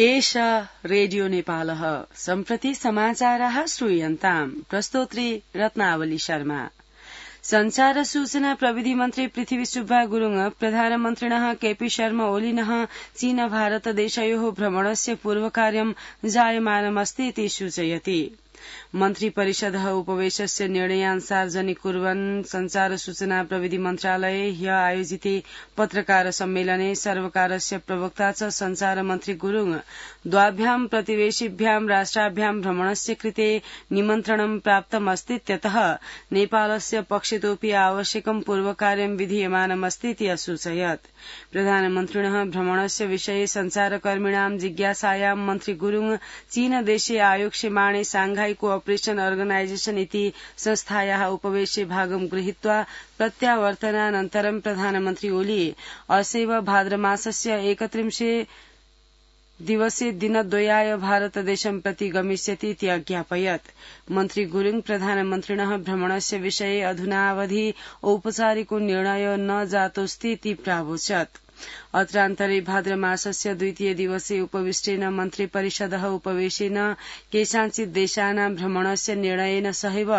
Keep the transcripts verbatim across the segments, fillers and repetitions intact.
एषा रेडियो नेपालः सम्प्रति समाचाराः श्रूयन्ताम् प्रस्तोत्री रत्नावली शर्मा। संचार सूचना प्रविधि मन्त्री पृथ्वी सुब्बा गुरुङ प्रधानमन्त्रिणः केपी शर्मा ओलिनः चीन भारत देशयोः भ्रमणस्य पूर्वकार्यं जायमानमस्ति इति सूचयति। मन्त्री परिषदः उपवेशस्य निर्णयान् सार्वजनिक कुर्वन् संचार सूचना प्रविधि मन्त्रालये ह्य आयोजिते पत्रकार सम्मेलने सर्वकारस्य प्रवक्ता च संचार मन्त्री गुरुङ द्वाभ्यां प्रतिवेशिभ्यां राष्ट्राभ्यां भ्रमणस्य कृते निमन्त्रणं प्राप्तमस्तीत्यतः नेपालस्य पक्षतोऽपि आवश्यकं पूर्वकार्यं विधीयमानमस्तीति असूचयत्। प्रधानमन्त्रिणः भ्रमणस्य विषये संचारकर्मिणां जिज्ञासायां मन्त्री गुरुङ चीन देशे आयोक्ष्यमाणे सांघाई कोऑपरेशन ऑर्गनाइजेशन इति संस्थायाः उपवेशे भागं गृहीत्वा प्रत्यावर्तनानन्तरं प्रधानमन्त्री ओली असैव भाद्रमासस्य एकत्रिंशे दिवसे दिनद्वयाय भारतदेशं प्रति गमिष्यति इति अज्ञापयत्। मन्त्री गुरुङ प्रधानमन्त्रिणः भ्रमणस्य विषये अधुनावधि औपचारिको निर्णय न जातोऽस्ति इति प्रावोचत्। अत्रान्तरे भाद्रमासस्य द्वितीय दिवसे उपविष्टेन मन्त्री परिषदः उपवेशेन केषाञ्चित् देशानां भ्रमणस्य निर्णयेन सहैव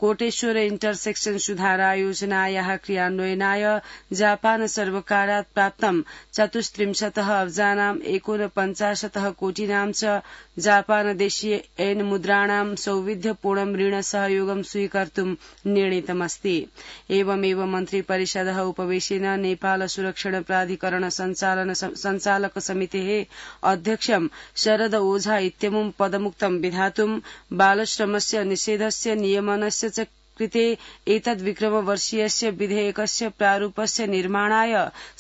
कोटेश्वर इन्टरसेक्शन सुधारा योजनायाः क्रियान्वयनाय जापान सर्वकारात् प्राप्तं चतुस्त्रिंशतः अब्जानां एकोनपञ्चाशतः कोटिनां च जापान देशीय एन मुद्राणां सौविध्यपूर्णं ऋण सहयोगं स्वीकर्तुं निर्णीतमस्ति। एवमेव मन्त्री परिषदः उपवेशेन नेपाल सुरक्षण प्राधिकरण संचालन संचालक समितेः अध्यक्षं शरद ओझा इत्यमुं पदमुक्तं विधातुं बालश्रमस्य निषेधस्य नियमनस्य च कृते एतद्विक्रमवर्षीयस्य विधेयकस्य प्रारूपस्य निर्माणाय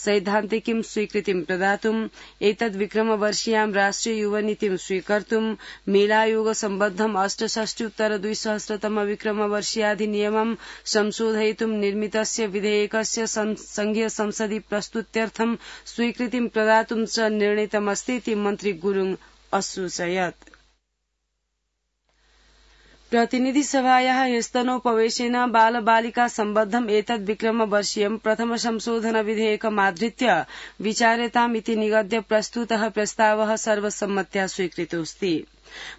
सैद्धान्तिकीं स्वीकृतिं प्रदातुं एतद्विक्रमवर्षीयां राष्ट्रिय युवनीतिं स्वीकर्तुं मेलायोग सम्बद्धम् अष्टषष्ट्युत्तर द्विसहस्रतम विक्रमवर्षीयाधिनियमं संशोधयितुं निर्मितस्य विधेयकस्य संघीय संसदि प्रस्तुत्यर्थं स्वीकृतिं प्रदातुं च निर्णीतमस्ति इति मन्त्री गुरुङ असूचयत्। प्रतिनिधि सभायाः ह्यस्तनोपवेशेन बाल बालिका सम्बद्धम् एतद् विक्रमवर्षीयं प्रथम संशोधन विधेयकमाधृत्य विचार्यताम् इति निगद्य प्रस्तुतः प्रस्तावः सर्वसम्मत्या स्वीकृतोऽस्ति।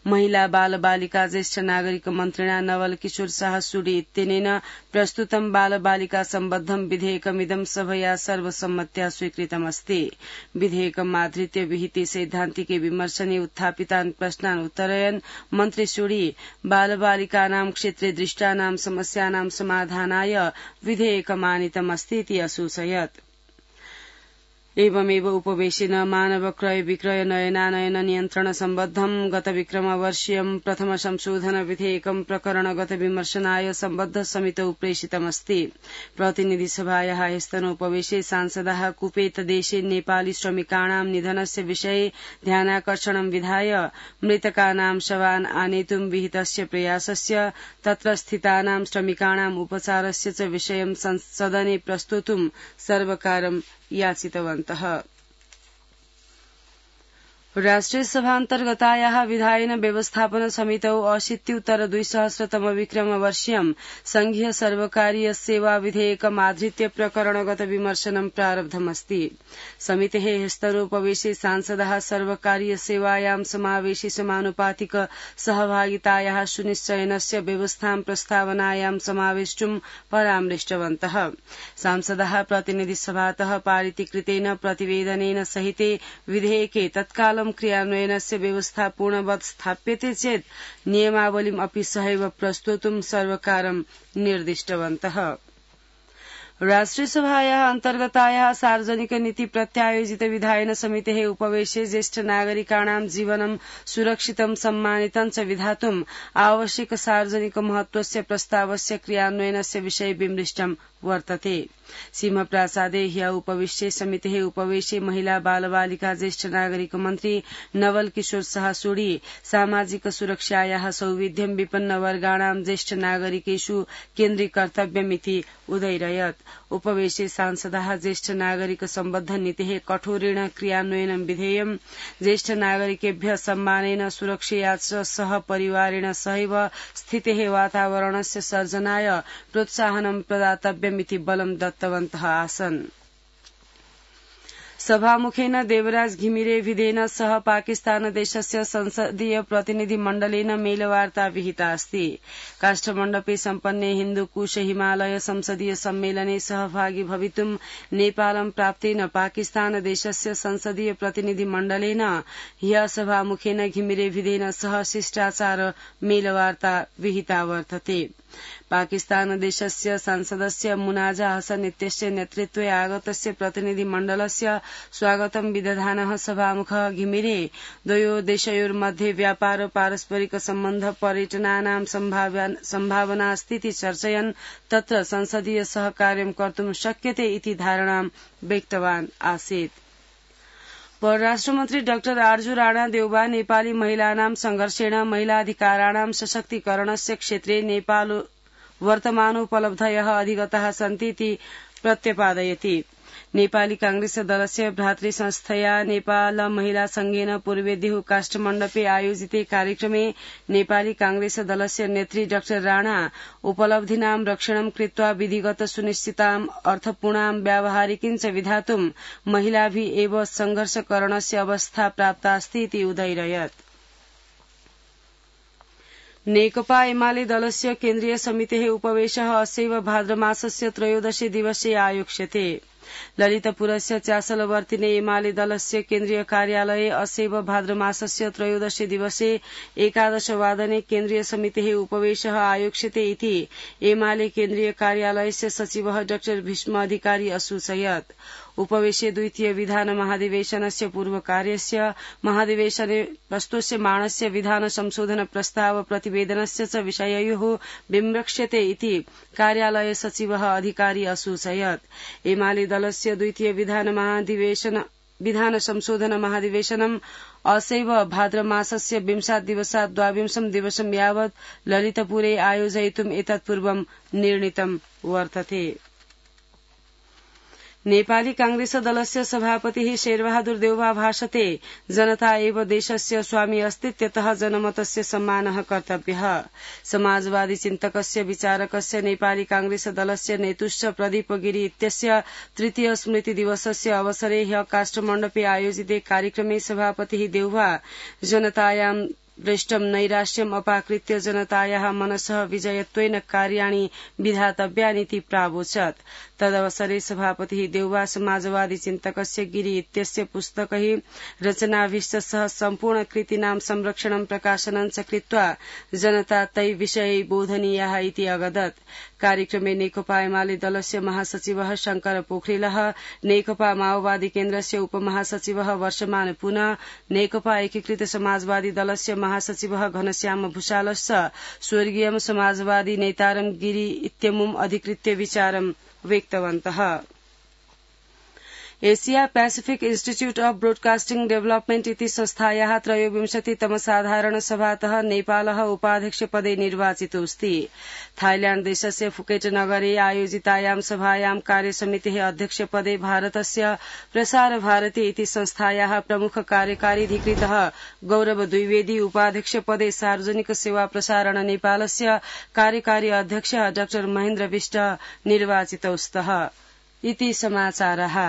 महिला बाल बालिका ज्येष्ठ नागरिक मन्त्रिणा नवल किशोर शाह सूडी इत्यनेन प्रस्तुतं बाल बालिका सम्बद्धं विधेयकमिदं सभया सर्वसम्मत्या स्वीकृतमस्ति। विधेयकमाधृत्य विहिते सैद्धान्तिके विमर्शने उत्थापितान् प्रश्नान् उत्तरयन् मन्त्री सूडी बाल बालिकानां क्षेत्रे दृष्टानां समस्यानां समाधानाय विधेयकमानीतमस्ति इति असूचयत्। एवमेव उपवेशेन मानव क्रय विक्रय नयनानयन नियन्त्रण सम्बद्धं गत विक्रमवर्षीयं प्रथम संशोधन विधेयकं प्रकरणगत विमर्शनाय सम्बद्ध समितौ प्रेषितमस्ति। प्रतिनिधि सभायाः ह्यस्तनोपवेशे सांसदाः कुपेत देशे नेपाली श्रमिकाणां निधनस्य विषये ध्यानाकर्षणं विधाय मृतकानां शवान् आनेतुं विहितस्य प्रयासस्य तत्र स्थितानां श्रमिकाणाम् उपचारस्य च विषयं सदने प्रस्तोतुं सर्वकारं याचितवन्तः। राष्ट्रिय सभान्तर्गतायाः विधायन व्यवस्थापन समितौ अशीत्युत्तर द्विसहस्रतम विक्रमवर्षीयं संघीय सर्वकारीय सेवा विधेयकमाधृत्य प्रकरणगत विमर्शनं प्रारब्धमस्ति। समितेः ह्यस्तनोपवेशे सांसदाः सर्वकारीय सेवायां समावेशि समानुपातिक सहभागितायाः सुनिश्चयनस्य व्यवस्थां प्रस्तावनायां समावेष्टुं परामृष्टवन्तः। सांसदाः प्रतिनिधि सभातः पारितीकृतेन प्रतिवेदनेन सहिते विधेयके तत्काल क्रियान्वयनस्य व्यवस्था पूर्णवत् स्थाप्यते चेत् नियमावलीम् अपि सहैव प्रस्तोतुं सर्वकारं निर्दिष्टवन्तः। राष्ट्रिय सभायाः अन्तर्गतायाः सार्वजनिक नीति प्रत्यायोजित विधायन समितेः उपवेशे ज्येष्ठ नागरिकाणां जीवनं सुरक्षितं सम्मानितं च विधातुम् आवश्यक सार्वजनिक महत्वस्य प्रस्तावस्य क्रियान्वयनस्य विषये विमृष्टं वर्तते। सिंहप्रासादे ह्य उपविश्ये समितेः उपवेशे महिला बाल बालिका ज्येष्ठ नागरिक मन्त्री नवल किशोर शाह सूडी सामाजिक सुरक्षायाः सौविध्यं विपन्न वर्गाणां ज्येष्ठ नागरिकेषु केन्द्रीकर्तव्यमिति उदैरयत्। उपवेशे सांसदाः ज्येष्ठ नागरिक सम्बद्ध नीतेः कठोरेण क्रियान्वयनं विधेयं ज्येष्ठ नागरिकेभ्यः सम्मानेन सुरक्षया च सह परिवारेण सहैव स्थितेः वातावरणस्य सर्जनाय प्रोत्साहनं प्रदातव्यमिति बलं दत्तवन्तः आसन्। सभामुखेन देवराज घिमिरे विधेन सह पाकिस्तानदेशस्य संसदीय प्रतिनिधिमण्डलेन मेलवार्ता विहिता अस्ति। काष्ठमण्डपे सम्पन्ने हिन्दुकुश हिमालय संसदीय सम्मेलने सहभागी भवितुं नेपालं प्राप्तेन पाकिस्तानदेशस्य संसदीय प्रतिनिधिमण्डलेन ह्य सभामुखेन घिमिरे विधेन सह शिष्टाचार मेलवार्ता विहिता वर्तते। पाकिस्तानदेशस्य संसदस्य मुनाजा हसन इत्यस्य नेतृत्वे आगतस्य प्रतिनिधिमण्डलस्य स्वागतं विदधानः सभामुखः घिमिरे द्वयो देशयोर्मध्ये व्यापार पारस्परिक सम्बन्ध पर्यटनानां सम्भावनास्तीति चर्चयन् तत्र संसदीय सहकार्यं कर्तुं शक्यते इति धारणां व्यक्तवान् आसीत्। परराष्ट्रमन्त्री डाक्टर आर्जु राणा देउबा नेपाली महिलानां संघर्षेण महिलाधिकाराणां सशक्तीकरणस्य क्षेत्रे नेपाल वर्तमानोपलब्धयः अधिगताः सन्ति इति प्रत्यपादयति। नेपाली कांग्रेस दलस्य भ्रातृ संस्थया नेपाल महिला संघेन पूर्वेदिहु काष्ठमण्डपे आयोजिते कार्यक्रमे नेपाली कांग्रेस दलस्य नेत्री डाक्टर राणा उपलब्धीनां रक्षणं कृत्वा विधिगत सुनिश्चिताम् अर्थपूर्णां व्यावहारिकीञ्च विधातुं महिलाभिः एव संघर्षकरणस्य अवस्था प्राप्तास्ति इति उदयिरयत्। नेकपा एमाले दलस्य केन्द्रीय समितेः उपवेशः अस्यैव भाद्रमासस्य त्रयोदशे दिवसे आयोक्ष्यते। ललितपुरस्य चासलवर्तिने एमाले दलस्य केन्द्रीय कार्यालये अस्यैव भाद्रमासस्य त्रयोदशे दिवसे एकादशवादने केन्द्रीय समितेः उपवेशः आयोक्ष्यते इति एमाले केन्द्रीय कार्यालयस्य सचिवः डाक्टर भीष्म अधिकारी असूचयत्। उपवेशे द्वितीय विधान महाधिवेशनस्य पूर्वकार्यस्य महाधिवेशने प्रस्तोष्यमाणस्य विधान संशोधन प्रस्ताव प्रतिवेदनस्य च विषययोः विमृक्ष्यते इति कार्यालय सचिवः अधिकारी असूचयत्। एमाले दलस्य द्वितीय विधान महाधिवेशन विधान संशोधन महाधिवेशनम् असैव भाद्रमासस्य विंशात् दिवसात् द्वाविंशं दिवसं यावत् ललितपुरे आयोजयितुम् एतत्पूर्वं निर्णीतं वर्तते। नेपाली कांग्रेस दलस्य सभापतिः शेरबहादुर देउवा भाषते जनता एव देशस्य स्वामी अस्तीत्यतः जनमतस्य सम्मानः कर्तव्यः। समाजवादी चिन्तकस्य विचारकस्य नेपाली कांग्रेस दलस्य नेतुश्च प्रदीप गिरि इत्यस्य तृतीय स्मृति दिवसस्य अवसरे ह्यः काष्ठमण्डपे आयोजिते कार्यक्रमे सभापतिः देउवा जनतायां दृष्टं नैराश्यम् अपाकृत्य जनतायाः मनसः विजयत्वेन कार्याणि विधातव्यानिति प्रावोचत्। तदवसरे सभापतिः देउवा समाजवादी चिन्तकस्य गिरि इत्यस्य पुस्तकैः रचनाभिश्च सह सम्पूर्ण कृतीनां संरक्षणं प्रकाशनं च कृत्वा जनता तै विषये बोधनीयाः इति अगदत्। कार्यक्रमे नेकपा एमाले दलस्य महासचिवः शंकर पोखरेलः, नेकपा माओवादी केन्द्रस्य उपमहासचिवः वर्षमान पुनः, नेकपा एकीकृत समाजवादी दलस्य महासचिवः घनश्याम भूषालश्च स्वर्गीय समाजवादी नेतारं गिरि इत्यमुम् अधिकृत्य विचारं व्यक्तवन्तः। Asia Pacific institute of broadcasting development इति संस्थायाः त्रयोविंशतितम साधारण सभातः नेपालः उपाध्यक्षपदे निर्वाचितोऽस्ति। थाईलैंड देशस्य फुकेट नगरे आयोजितायां सभायां कार्यसमितेः अध्यक्षपदे भारतस्य प्रसार भारती इति संस्थायाः प्रमुख कार्यकारी अधिकृतः गौरव द्विवेदी, उपाध्यक्षपदे सार्वजनिक सेवा प्रसारण नेपालस्य कार्यकारी अध्यक्षः डाक्टर महेन्द्र विष्ट निर्वाचितौ स्तः इति समाचारः।